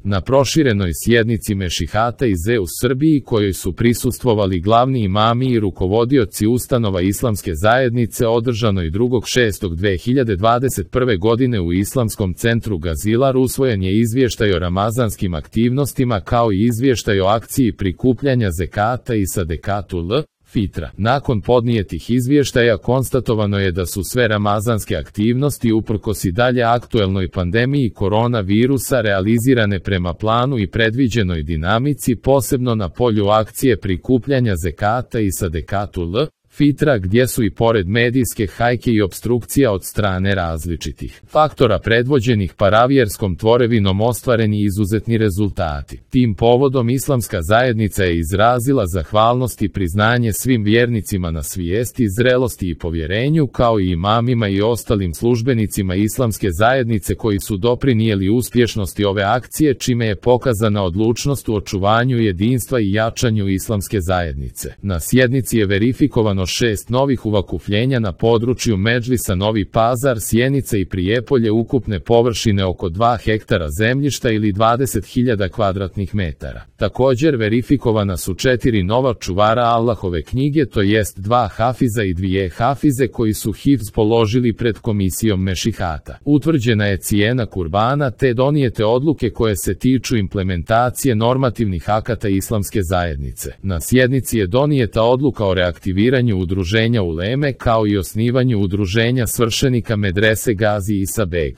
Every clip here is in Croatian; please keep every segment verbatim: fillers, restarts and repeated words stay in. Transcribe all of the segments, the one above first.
Na proširenoj sjednici Mešihata iz E u Srbiji kojoj su prisustvovali glavni imami i rukovodioci ustanova islamske zajednice održanoj drugog šestog dve hiljade dvadeset prve. godine u Islamskom centru Gazilar usvojen je izvještaj o ramazanskim aktivnostima kao i izvještaj o akciji prikupljanja zekata i sadekatu L. Fitra. Nakon podnijetih izvještaja konstatovano je da su sve ramazanske aktivnosti uprkos i dalje aktuelnoj pandemiji koronavirusa realizirane prema planu i predviđenoj dinamici, posebno na polju akcije prikupljanja zekata i sadekatu L. Fitra, gdje su i pored medijske hajke i opstrukcija od strane različitih faktora predvođenih paravjerskom tvorevinom ostvareni izuzetni rezultati. Tim povodom islamska zajednica je izrazila zahvalnost i priznanje svim vjernicima na svijesti, zrelosti i povjerenju, kao i imamima i ostalim službenicima islamske zajednice koji su doprinijeli uspješnosti ove akcije, čime je pokazana odlučnost u očuvanju jedinstva i jačanju islamske zajednice. Na sjednici je verifikovano šest novih uvakupljenja na području Medžlisa Novi Pazar, Sjenica i Prijepolje ukupne površine oko dva hektara zemljišta ili dvadeset hiljada kvadratnih metara. Također verifikovana su četiri nova čuvara Allahove knjige, to jest dva hafiza i dvije hafize koji su hifz položili pred komisijom Mešihata. Utvrđena je cijena kurbana te donijete odluke koje se tiču implementacije normativnih akata islamske zajednice. Na sjednici je donijeta odluka o reaktiviranju udruženja uleme kao i osnivanju udruženja svršenika medrese Gazi Isa Beg.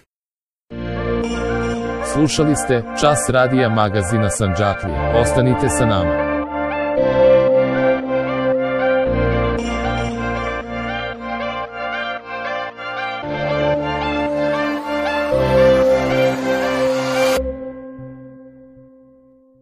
Slušali ste Čas radija magazina Sandžaklija. Ostanite sa nama.